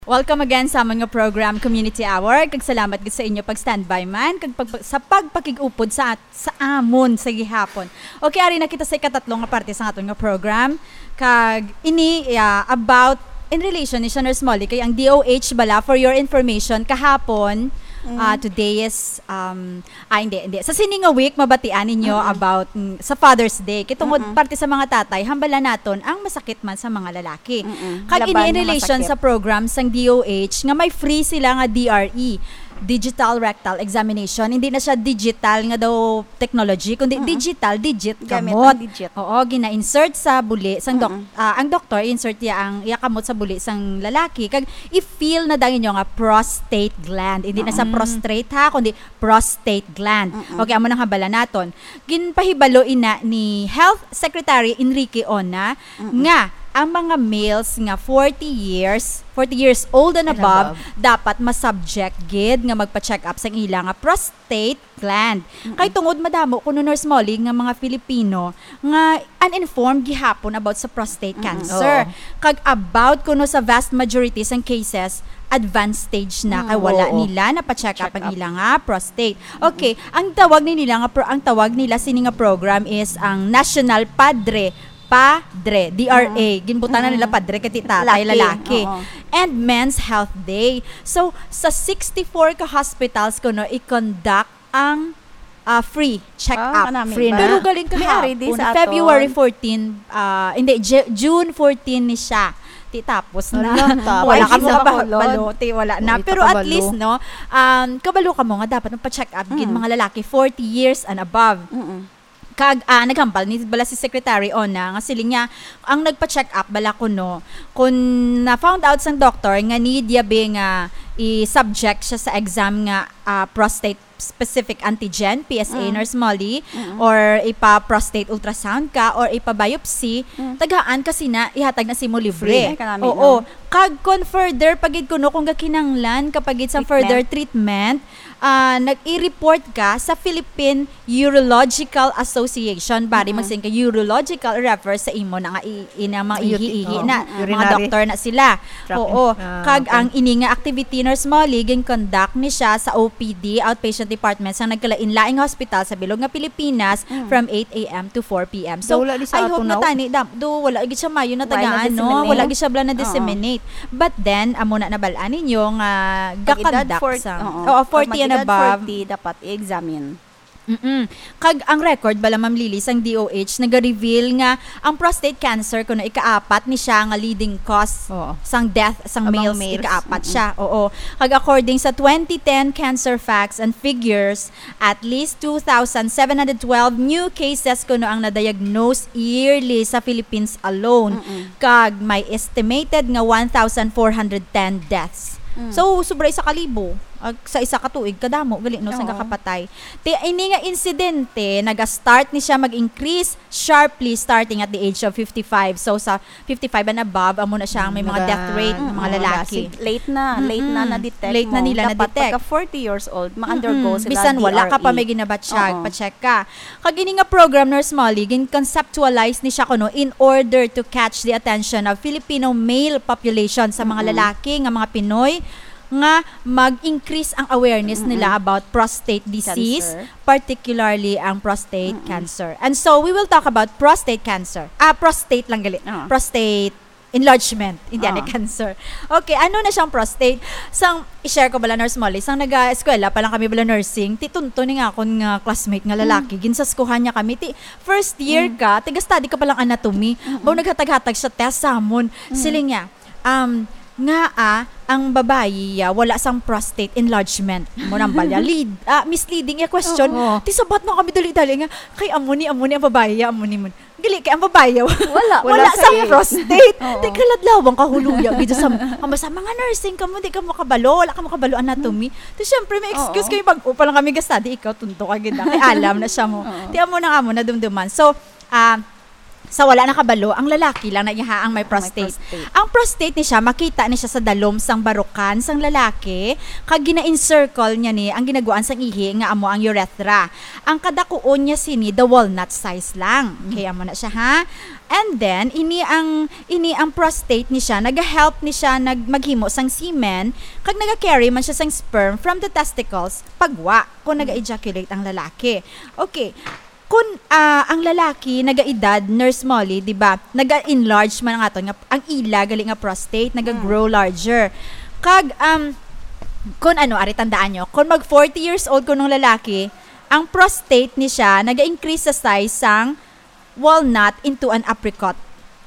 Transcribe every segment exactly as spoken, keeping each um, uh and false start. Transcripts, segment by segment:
Welcome again sa amon nga program, Community Hour. Kag salamat gid sa inyo pag-standby man, kag pag-, sa pagpakig-upod sa at-, sa amon sa gihapon. Okay, ari na kita sa ikatatlo nga parte sa aton nga program. Kag ini, ah, about, in relation ni siya, Nurse Molly, kay ang D O H bala, for your information, kahapon, Mm. ah, today is, um, ah, hindi, hindi. Sa sini nga week, mabatian ninyo Mm-mm. about, mm, sa Father's Day. Kay tungod Mm-mm. parte sa mga tatay, hambala naton ang masakit man sa mga lalaki. Mm-mm. Kag ini Laban in nga relation masakit. sa program sang D O H nga may free sila nga D R E, digital rectal examination. Hindi na siya digital nga daw technology, kundi Mm-mm. digital, digit, Gamit kamot. ang digit. Oo, gina-insert sa buli sang doc-, Mm-mm. ah, ang doktor, insert niya ang iya kamot sa buli sang lalaki. Kag i-feel na daw ninyo nga prostate gland. Hindi na sa Mm. prostrate, ha, kundi prostate gland. Mm-mm. Okay, amo nang hambala naton. Ginpahibalo ina ni Health Secretary Enrique Ona Mm-mm. nga ang mga males nga forty years, forty years old and And above, above. dapat ma-subject gid nga magpa-check up sang ila nga prostate gland. Mm-mm. Kay tungod madamo kuno, Nurse Molly, nga mga Filipino nga uninformed gihapon about sa prostate Mm-mm. cancer. Oo. Kag about kuno sa vast majority sang cases, advanced stage na, Mm, kay wala oo. nila napa-check up Check ang up. ila nga prostate. Mm-mm. Okay, ang tawag ni nila nga pro-, ang tawag nila sini nga program is ang National Padre, Padre, D R A. Mm-mm. Ginbutang na nila Mm-mm. padre kay ti tatay, Laki, lalaki. oo. And Men's Health Day. So, sa sixty-four ka hospitals kuno i-conduct ang, ah, free check-up. Ah, kanami Free ba? na. Pero galing May ari di kahapon, sa aton. February fourteen, ah, hindi, Ju-, June fourteen ni siya. Ti tapos na. Hala, tapos Wala Wala kamo na. kabalo, ti wala na. Wala Pero at kabalo. least, no, um, kabalo kamo nga dapat magpa-check up gid Mm. mga lalaki forty years and above. Mm-mm. Kag, ah, naghambal ni bala si Secretary Ona nga siling niya, ang nagpa-check up bala kuno, kung na-found out sang doktor nga need yabi nga i-subject siya sa exam nga, ah, prostate specific antigen, P S A, Mm. Nurse Molly, Mm. or ipa-prostate ultrasound ka, or ipa-biopsy, Mm. tagaan ka sina, ihatag na simo libre. Free. Ay, kanami Oo. na. Kag kung further pa gid kuno, kung gakinanglan ka pa gid sa Treatment. further treatment, ah, nag-i-report ka sa Philippine Urological Association. Bari Mm-mm. magsin ka urological refer sa imo na nga i-, ina, mga U T I, ihi-ihi oo. na, Mm-mm. mga Urinary doktor na sila. Tract Oo. in-, ah, Kag okay. ang ini nga activity, Nurse Molly, gin-conduct ni siya sa O P D, outpatient department, sa nagkalain-laing hospital sa bilog nga Pilipinas Mm. from eight A M to four P M. So, Daw wala di sa I ato hope na na. tani, da-, do, wala gid siya mayo na Wala tagaan, no? na-disseminate. Wala gid siya bala Oo. na-disseminate. But then, amo na nabal-an ninyo nga Pag edad ga-conduct fort-, sa, oo. oo, Pag forty and mag-edad above. forty, dapat i-examine. Mm-mm. Kag ang record bala, Ma'am Lily, sang D O H, naga-reveal nga ang prostate cancer kuno ikaapat ni siya nga leading cause Oo. sang death sang Among males, males. ikaapat Mm-mm. siya. Oo. Kag according sa twenty ten Cancer Facts and Figures, at least two thousand seven hundred twelve new cases kuno ang na-diagnose yearly sa Philippines alone. Mm-mm. Kag may estimated nga one thousand four hundred ten deaths. Mm. So, sobra isa ka libo. Ag-, sa isa ka tuig, kadamo, gali, no, sang Oo. kakapatay. Ti, ini nga insidente, naga-start ni siya mag-increase sharply starting at the age of fifty-five. So, sa fifty-five and above, amo na siya ang may mga Naga-, death rate, mm, mga oo, lalaki. Sig-, late na, late na Mm-mm. na-detect Late na mo. nila Dapat na-detect. pagka forty years old, ma-undergo Mm-mm. sila Bisan wala ka pa D R E. may ginabatsyag, Oo. pa-check ka. Kag ini nga program, Nurse Molly, gin-conceptualize ni siya kuno in order to catch the attention of Filipino male population, sa mga Mm-mm. lalaki nga mga Pinoy, nga mag-increase ang awareness Mm-mm. nila about prostate disease, Cancer. particularly ang prostate Mm-mm. cancer. And so, we will talk about prostate cancer. Ah, prostate lang gali. Ah. Prostate enlargement, hindi Ah. ni cancer. Okay, ano na siyang prostate? Sang i-share ko bala, Nurse Molly, sang naga-eskwela pa lang kami bala nursing, ti tunto ni nga akon nga classmate nga lalaki, Mm. ginsaskuhan niya kami, ti first year Mm. ka, tiga-study ka pa lang anatomy. Mm-mm. Baw naghatag-hatag siya test sa amon. Mm. Siling niya, um, nga, ah, ang babayi, ah, wala sang prostate enlargement. Mo nang balya, lead, ah, misleading yung question. Oo. Ti sabat na kami dali-dali nga, kay amo ni, amo ni ang babayi, amo ni mo. Gali, kay ang babayi, Wala. wala Wala sa sa iya. prostate. Oo. Ti kaladlawang kahuluya, gid sa, ang basta mga nursing kamo, di ka makabalo, wala ka makabalo anatomy. Hmm. Ti syempre, may excuse Oo. kayo, bag-o pa lang kami ga-study, ikaw, tunto ka gid, ah. Kay alam na siya mo. Oo. Ti amo na, amo na dumduman. So, ah, Sa wala nakabalo, ang lalaki lang na iya ang may prostate. Ang prostate ni siya, makita ni siya sa dalom sang barukan sang lalaki, kag gina-encircle niya ni ang ginaguan sang ihi nga amo ang urethra. Ang kadakuon niya sini, the walnut size lang. Okay, amo na siya, ha? And then, ini ang, ini ang prostate ni siya, naga-help ni siya nag-, maghimo sang semen, kag naga-carry man siya sang sperm from the testicles, pagwa, kung naga-ejaculate ang lalaki. Okay. Kun, ah, ang lalaki nagaedad, Nurse Molly, di ba? Naga-enlarge man ang aton nga, ang ila gali nga prostate, naga-grow larger. Kag, um, kun ano, ari tandaan nyo, kung mag forty years old kunong lalaki, ang prostate ni siya naga-increase sa size sang walnut into an apricot.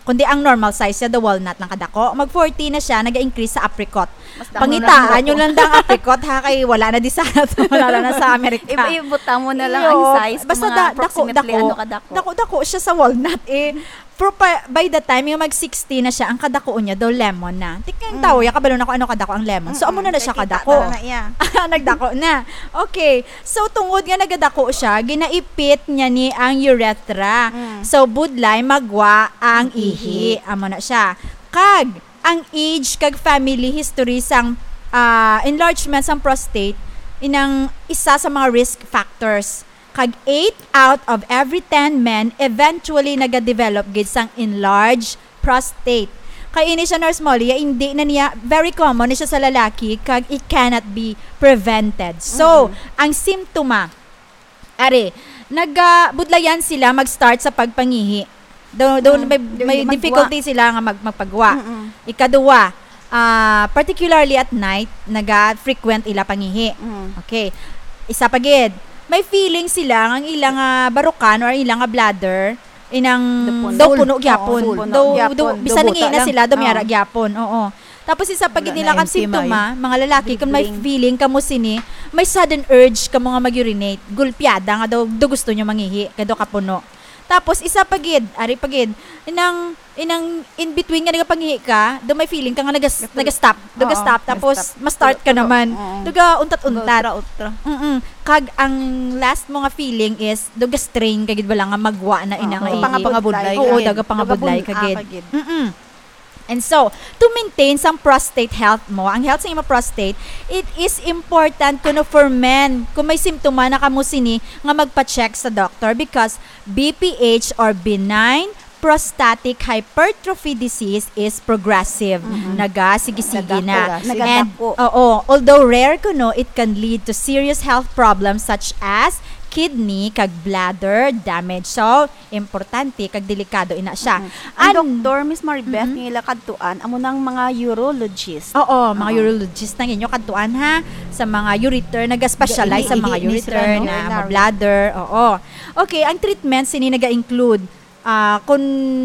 Kundi ang normal size siya, the walnut lang kadako. Mag forty na siya, naga-increase sa apricot. Mas damo Pangitaan lang nyo buko. lang dang apricot, ha, kay wala na di sa, wala na sa Amerika. Iba-, ibutang mo na lang ang Iyo, size, basta mga da-, dako, approximately dako. ano kadako. Dako-dako siya sa walnut, eh. Pero pa, by the time yung mag sixty na siya, ang kadakuon niya daw lemon na. Tikang Mm. tao, ya, kabalo na kung ano kadako ang lemon. So, amo Mm-mm. na na siya Kay kita kadako. na na iya. Nagdako na. Okay. So, tungod nga nagadako siya, ginaipit niya ni ang urethra. Mm. So, budlay magwa ang Ang ihi. ihi. Amo na siya. Kag, ang age kag family history sang, ah, enlargement sang prostate, inang isa sa mga risk factors. Kag eight out of every ten men eventually nagadevelop gid sang enlarged prostate. Kay ini siya, Nurse Molly, ya, hindi na niya, very common ni siya sa lalaki, kag it cannot be prevented. So, Mm-mm. ang simptoma, are, nagabudlayan sila mag-start sa pagpangihi. Do, do, Mm. may, Di, may magwa. difficulty sila nga mag-, magpagwa. Mm-mm. Ikaduwa, ah, particularly at night, naga-frequent ila pangihi. Mm. Okay. Isa pa gid, may feeling sila nga ang ila nga barukan or ang ila nga bladder, inang Daw puno. daw puno gyapon. Full. Puno Daw, gyapon. daw, bisan Daw nangihi na buta lang. sila, daw may Oo. ara gyapon. Oo. Tapos isa pa gid Wala nila na kang empty simptoma, maayo. mga lalaki, kung may Dribling. feeling kamo sini, may sudden urge kamo nga mag-urinate. Gulpiada nga daw, daw gusto nyo mangihi, kay daw kapuno. Tapos isa pa gid, ari pa gid, inang, inang in between nga nagapangihi ka, daw may feeling ka nga nagas-, Gatul-, nagastop, daw Oo, gastop, tapos nagastop. ma-start ka Tulo-tulo. naman. Oo. Daw ga untat-untat. Ultra-ultra. Mm-mm. Kag ang last mo nga feeling is, daw ga-strain ka gid bala nga magwa na Oo. inang Oo, ihi. Pangabudlay Oo, ka gid. daw ga pangabudlay Daw ka gabun-, gid. ah, ka gid. Mm-mm. And so, to maintain sang prostate health mo, ang health sa imo prostate, it is important kuno for men. Kung may simptoma na kamo sini, nga magpa-check sa doctor because B P H or benign prostatic hypertrophy disease is progressive. Mhm. Nagasigi-sige Nagdako na. na. And, Nagadako. oo, although rare kuno, it can lead to serious health problems such as kidney kag bladder damage. So, importante kag delikado ina siya. Mm-mm. Ang An- doktor, Miss Maribeth, Mm-mm. nga ila kadtuan, amo nang mga urologist. Oo, mga Oo. urologist ang inyo kadtuan, ha? Sa mga ureter, nag-specialize Ini-, sa mga ini-, ini ureter sila, no? na, Urinary. bladder, oo. Okay, ang treatment sini naga-include, ah, kung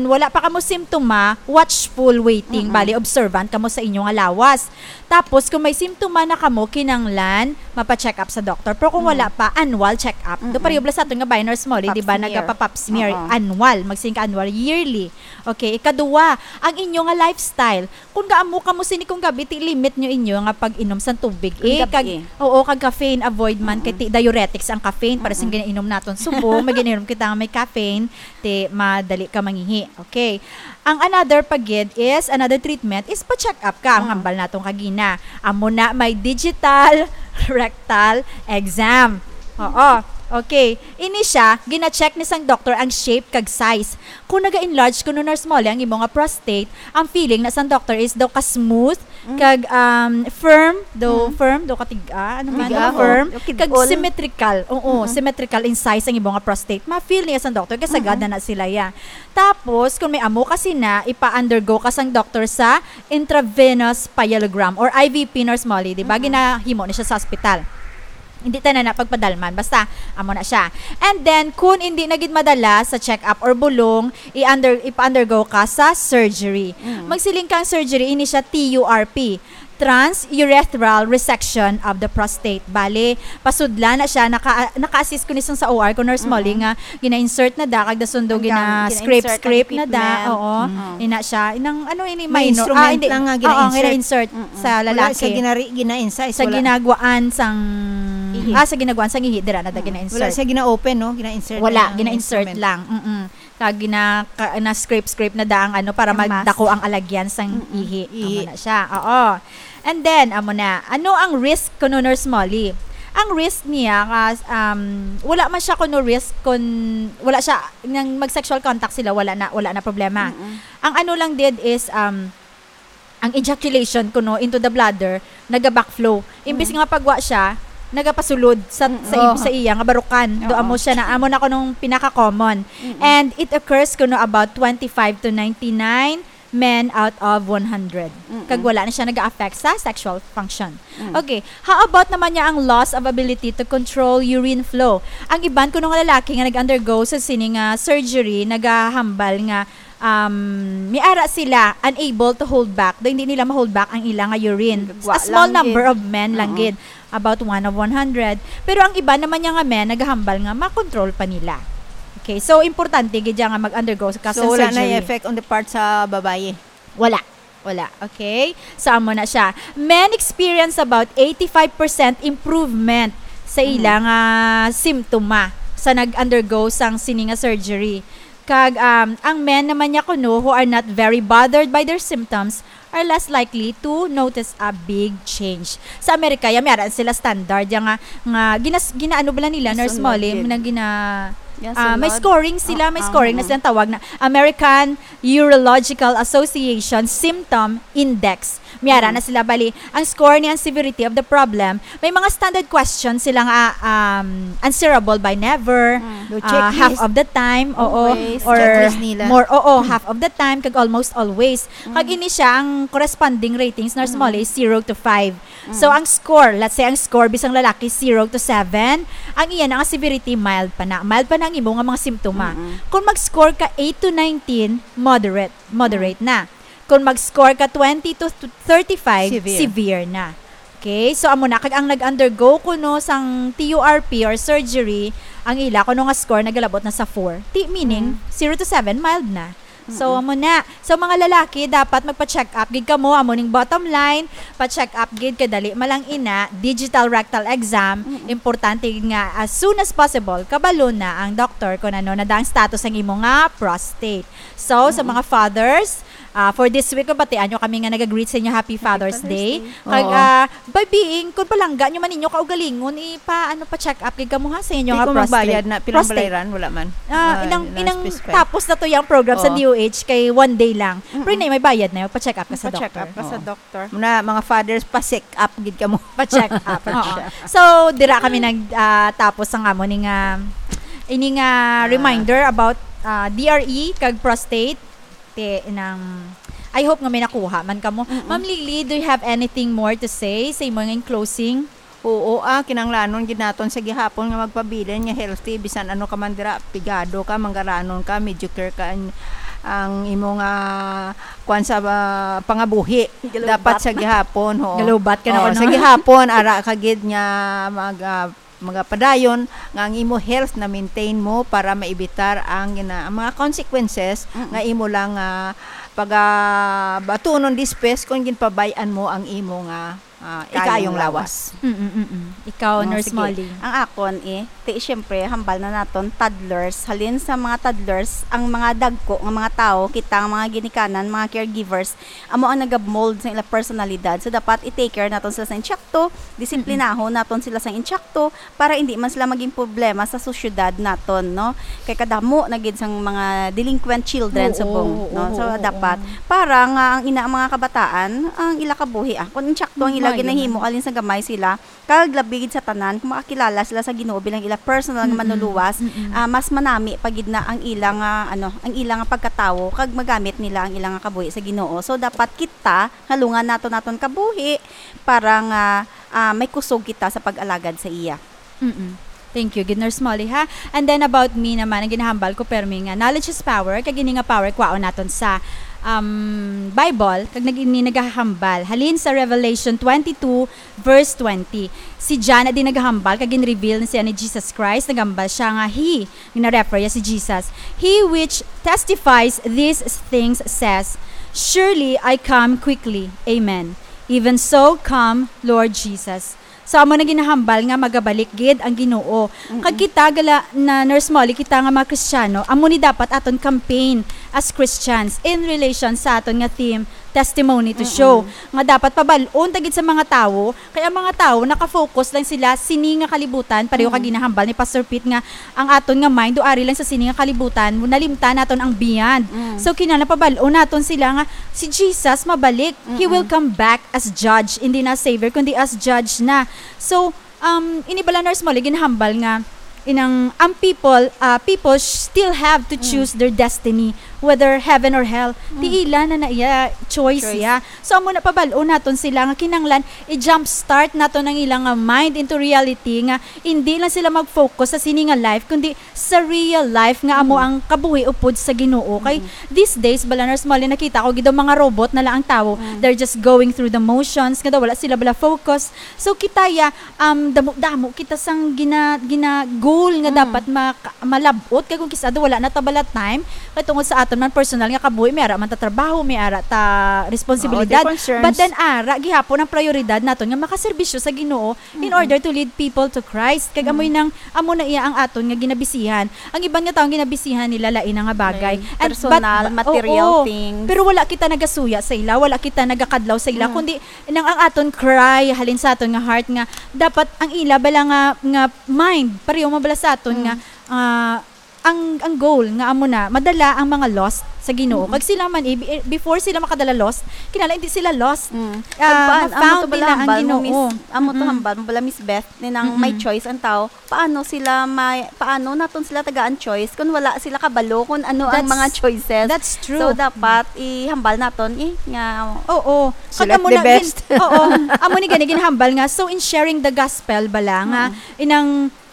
wala pa kamo simptoma, watchful waiting, Mm-mm. bali observant kamo sa inyo nga lawas. Tapos, kung may simptoma na kamo, kinanglan mapa-check up sa doktor. Pero kung Mm. wala pa, annual check up. Do Mm-mm. pareho bala sa aton nga bayan, Nurse Molly, Pap di ba, smear. nagapa-pap smear, Oo. annual, magsiling ka annual, yearly. Okay, ikaduwa, ang inyo nga lifestyle. Kung gaamo kamo sini kung gabi, ti limit nyo inyo nga pag-inom sang tubig. Kung Eh, gabi. kag, oo, kag caffeine, avoid man, kay Mm-mm. ti diuretics ang caffeine, para sing Mm-mm. ginainom naton subong, may ginainom kita nga may caffeine, ti madali ka mangihi. Okay. Ang another pa gid is, another treatment is pa-check up ka. Ang Mm. hambal naton kagina. Amo na, may digital rectal exam. Oo. Okay. Ini siya, gina-check ni sang doktor ang shape kag size. Kung naga-enlarge kuno, Nurse Molly, ang imo nga prostate, ang feeling na sang doktor is daw ka smooth, Mm. kag, um, firm, daw Mm. firm, daw katig-a, ano man, Tiga, daw oo. firm, Daw kag kid-ol. symmetrical. Oo, Mm-mm. symmetrical in size ang imo nga prostate. Ma-feel niya sang doktor, kay sagad Mm-mm. na na sila ya. Tapos, kung may amo ka sina, ipa-undergo ka sang doktor sa intravenous pyelogram or I V P, Nurse Molly, di ba? Mm-mm. Ginahimo ni siya sa ospital. Hindi ta na na pagpadalman. Basta, amo na siya. And then, kung hindi na gid madala sa check-up or bulong, i-under-, ipa-undergo ka sa surgery. Mm. Magsiling kang surgery, ini siya T U R P. Transurethral resection of the prostate. Bale, pasudla na siya, naka-, naka-assist ko ni sang sa O R ko, Nurse Molly, Mm-mm. nga gina-insert na da, kag dason daw Ang gam-, gina-scrape, gina-insert ang scrape na da. equipment. Oo. Mm. Ina siya. Inang, ano ini, May minor. instrument Ah, hindi. lang nga Oo, gina-insert. gina-insert Mm-mm. sa Wala lalaki. sa ginari-, gina-incise, Sa wala. ginagwaan sang, Ihi. ah, sa ginagwaan sang ihi, dira na da Mm. gina-insert. Wala siya gina-open, no? Gina-insert Wala, lang ang gina-insert instrument. lang. Mm-mm. Kag na, ka, na scrape-scrape na da ang ano para magdako ang alagyan sang ihi. Amo na siya. Oo. And then, amo na. Ano ang risk kuno, Nurse Molly? Ang risk niya, kas-, um, wala man siya kuno risk kun wala siya, nang mag-sexual contact sila, wala na, wala na problema. Ang ano lang did is, um, ang ejaculation kuno into the bladder, naga-backflow. Imbis nga pagwa siya, nagapasulod sa, sa, ib-, sa iya nga barukan. Do amo siya na, amo na kunong pinaka-common. And it occurs kuno about twenty-five to ninety-nine men out of one hundred. Kag wala na siya nag-affect sa sexual function. Okay, how about naman niya ang loss of ability to control urine flow? Ang iban kuno nga lalaki nga nag-undergo sa sini nga surgery, nagahambal nga, um, may ara sila unable to hold back. Do hindi nila ma-hold back ang ila nga urine. A small number of men lang gid, about one of one hundred. Pero ang iba naman niya nga men, nagahambal nga makontrol pa nila. Okay, so importante gid siya nga mag-undergo ka sa surgery. So, wala na effect on the part sa babayi? Wala. Wala. Okay? So, amo na siya. Men experience about eighty-five percent improvement sa ila nga simptoma sa nag-undergo sang sini nga surgery. Kag, um, ang men naman niya kuno who are not very bothered by their symptoms are less likely to notice a big change. Sa Amerika, ya, may ara sila standard, ya nga, nga ginas-, ginaano bala nila, Nurse Molly, na gina-, ah, may scoring sila, may scoring na silang tawag na American Urological Association Symptom Index. May ara na sila, bali, ang score ni ang severity of the problem, may mga standard questions sila nga, um, answerable by never, ah, half of the time, oo, or more, oo, half of the time, kag almost always. Kag ini siya ang corresponding ratings, Nurse Molly, zero to five. So, ang score, let's say, ang score bisang lalaki, zero to seven, ang iya na nga severity, mild pa na. Mild pa na ang imo nga mga simptoma. Kung mag-score ka eight to nineteen, moderate, moderate na. Kung mag-score ka twenty to thirty-five, severe na. Okay? So, amo na, kag ang nag-undergo kuno sang T U R P or surgery, ang ila kuno nga score nagalabot na sa four. Ti-, meaning, zero to seven, mild na. So, amo na. So, mga lalaki, dapat magpa-check up gid kamo. Amo ning bottom line, pa-check up gid kay dali man lang ina, digital rectal exam. Importante gid nga as soon as possible, kabalo na ang doktor kung ano na da ang status sang imo nga prostate. So, sa mga fathers, ah, for this week, batian nyo kami nga nag-greet sa inyo, Happy Father's Day. Kag, ah, by being, kung palangga nyo man ninyo kaugalingon, ipa-, ano, pa-check up gid kamo, ha, sa inyo nga prostate. Di ko magbayad na, pilang balay ran, wala man. Ah, inang, inang tapos na to yung program sa D O H kay one day lang. Pero na, may bayad na, pa-check up ka sa doktor. Pa-check up ka sa doktor. Muna, mga fathers, pa-check up gid kamo. Pa-check up. Oo. So, dira kami nag, ah, tapos ang amo ni nga, ini nga reminder about, ah, D R E kag prostate. Te, nang, I hope nga may nakuha man kamo. Ma'am Lily, do you have anything more to say sa imo nga in closing? Oo, ah, kinahanglanon gid naton sa gihapon nga magpabilin nga healthy, bisan ano ka man dira, pigado ka, manggaranon ka, mediocre ka, ang, ang imo nga, kwan sa, ah, pangabuhi. Dapat sa gihapon, oo. Galubat ka na. Oo, sa gihapon, ara ka gid nga mag, ah, magapadayon nga ang imo health na maintain mo para maibitar ang gina-, ang mga consequences nga imo lang, ah, pagabatunon dispes kung ginpabay-an mo ang imo nga, ah, ikayong lawas. Mm, mm, mm. Ikaw, Nurse Molly. Ang akon, eh, ti, siyempre, hambal na naton, toddlers. Halin sa mga toddlers, ang mga dagko nga mga tawo, kita ang mga ginikanan, mga caregivers, amo ang nagamold sa ila personalidad. So, dapat i-take care naton sila sa intsakto, disiplinahon naton sila sa intsakto, para hindi man sila maging problema sa sosyedad naton, no? Kay kadamo na gid sang mga delinquent children subong, no? So, dapat para nga ang ina, ang mga kabataan, ang ila kabuhi, ah, kung intsakto ang ila ginahimo, alin sa gamay sila, kag labi gid sa tanan, kung makakilala sila sa Ginoo bilang ila personal nga manluluwas, ah, mas manami pa gid na ang ila nga, ano, ang ila nga pagkatawo, kag magamit nila ang ila nga kabuhi sa Ginoo. So, dapat kita, halungan naton aton kabuhi para nga, ah, may kusog kita sa pag-alagad sa iya. Mm-mm. Thank you gid, Nurse Molly, ha? And then about me naman, ang ginahambal ko, permi nga, knowledge is power, kag ini nga power, kwaon naton sa, um, Bible, kag nag-, ini nagahambal. Halin sa Revelation twenty-two, verse twenty. Si John adi nagahambal, kag gin-reveal na siya ni Jesus Christ, nagahambal siya nga he, gina-refer ya si Jesus, "He which testifies these things says, 'Surely I come quickly.' Amen. Even so, come, Lord Jesus." So, amo na ginahambal nga magabalik gid ang Ginoo. Mm-mm. Kag kita gala na, Nurse Molly, kita nga mga Kristiyano, amo ni dapat aton campaign as Christians in relation sa aton nga theme, Testimony to Mm-mm. Show. Nga dapat pabal-on ta gid sa mga tawo, kay ang mga tawo naka-focus lang sila sini nga kalibutan, pareho kag Mm. ginahambal ni Pastor Pete nga ang aton nga mind do ari lang sa sini nga kalibutan, nalimtan naton ang beyond. Mm. So, kinahanglan pabal-on naton sila nga si Jesus mabalik. He Mm-mm. will come back as judge, hindi na savior, kundi as judge na. So, um, ini bala, Nurse Molly, ginahambal nga inang ang people, ah, people sh- still have to Mm. choose their destiny, whether heaven or hell. Mm. Ti ila na na iya choice Choice. iya. So, amo na pabal-on naton sila nga kinahanglan i-jumpstart naton ang ilang, ah, mind into reality nga hindi lang sila mag-focus sa sini nga life, kundi sa real life nga amo Mm. ang kabuhi upod sa Ginoo. Kay Mm. these days, bala, Nurse Molly, nakita ko gid ang mga robot na lang ang tawo. Mm. They're just going through the motions, nga daw wala sila bala focus. So, kita ya, um, damo-damo kita sang gina-, gina-goal nga Mm. dapat maka-, malab-ot. Kay kung kis-a daw wala na ta bala time, kay tungod sa aton man personal nga kabuhi, may ara man ta trabaho, may ara ta Oo, responsibilidad. Other concerns. But then, ara, gihapon ang prioridad naton nga makaserbisyo sa Ginoo in Mm-mm. order to lead people to Christ. Kag Mm. amoy nang, amo na iya ang aton nga ginabisihan. Ang iban nga tawo, ang ginabisihan nila lain nga bagay. May And, personal, but, material oo, things. Pero wala kita nagasuya sa ila, wala kita nagakadlaw sa ila, Mm. kundi nang ang aton cry halin sa aton nga heart nga dapat ang ila bala nga, nga mind, pareho man bala sa aton Mm. nga, ah, ang, ang goal nga amo na madala ang mga lost sa Ginoo. Mm-mm. Kag sila man, eh, bi-, eh, before sila makadala lost, kinahanglan hindi sila lost. Mm. Ah, Kag paan-, amo ma-found to bala nila ang hambal mo, Ginoo. Miss, amo to Mm-mm. hambal mo bala, Miss Beth, ni nang may Mm-mm. choice ang tao. Paano sila may, paano naton sila tagaan choice kung wala sila kabalo kung ano ang That's, mga choices? That's true. So, dapat ihambal naton, eh, nga Oo. Kag Select amo the na gin-, best. Oo. Amo ni gani ginhambal nga. So, in sharing the gospel bala nga, Mm. inang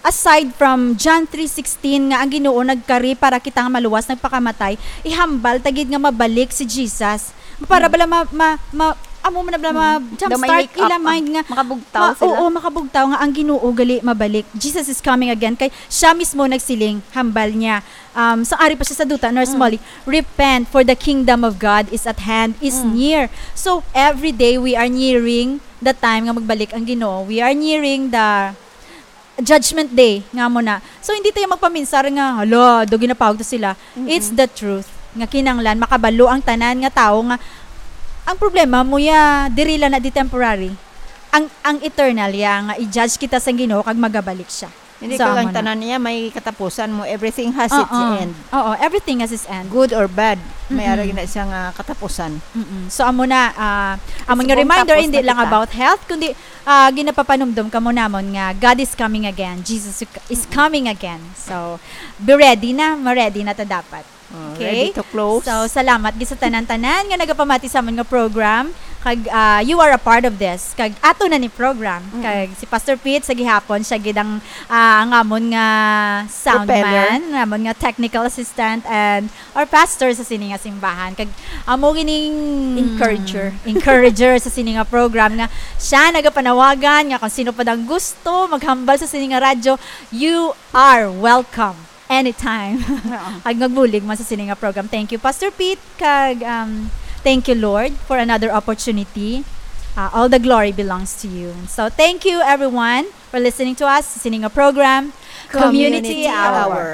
aside from John three sixteen nga ang Ginoo nagkari para kita nga maluwas, nagpakamatay, ihambal ta gid nga mabalik si Jesus. Para Mm. bala ma-, ma-, ma-, amo man na bala Mm. ma-, Daw may jumpstart make up, ila ah, mind nga makabugtaw ma-, sila. Oo, makabugtaw nga ang Ginoo gali mabalik. Jesus is coming again. Kay siya mismo nagsiling, hambal niya. Um, so, ari pa siya sa duta, Nurse Mm. Molly, "Repent, for the kingdom of God is at hand, is Mm. near." So, every day we are nearing the time nga magbalik ang Ginoo. We are nearing the judgment day nga mo na. So, hindi tayo magpaminsar nga, "Hala, do ginapawag to sila." Mm-mm. It's the truth nga kinanglan makabalo ang tanan nga tawo nga ang problema mo ya, diri lang na di temporary. Ang, ang eternal ya nga i-judge kita sa Ginoo kag magabalik siya. Hindi So, ka lang amo na. tanan niya, may katapusan mo. Everything has its Oo. end. Oo, everything has its end. Good or bad, may Mm-mm. ara gina siya nga katapusan. Mm-mm. So, amo na, ah, amo It's nga a reminder, purpose hindi na lang kita. about health, kundi, ah, ginapapanumdom kamo namon nga God is coming again. Jesus is Mm-mm. coming again. So, be ready na, ma-ready na ta dapat. Oh, Okay? ready to close. So, salamat gid sa tanan-tanan nga nagapamati sa amon nga program. Kag, ah, you are a part of this. Kag ato na ni program. Mm. Kag si Pastor Pete, sa gihapon, siya gid ang, ah, ang amon nga sound Propeller. man, ang amon nga technical assistant, and our pastor sa sini nga simbahan. Kag amo gining Encourager. encourager sa sini nga program nga siya nagapanawagan nga kung sino pa dang gusto maghambal sa sini nga radyo, you are welcome. Anytime. Oo. Ag magbulig man sa sini nga program. Thank you, Pastor Pete. Kag, um, thank you, Lord, for another opportunity. Uh, all the glory belongs to you. So, thank you, everyone, for listening to us sa sini nga program, Community Community Hour. Hour.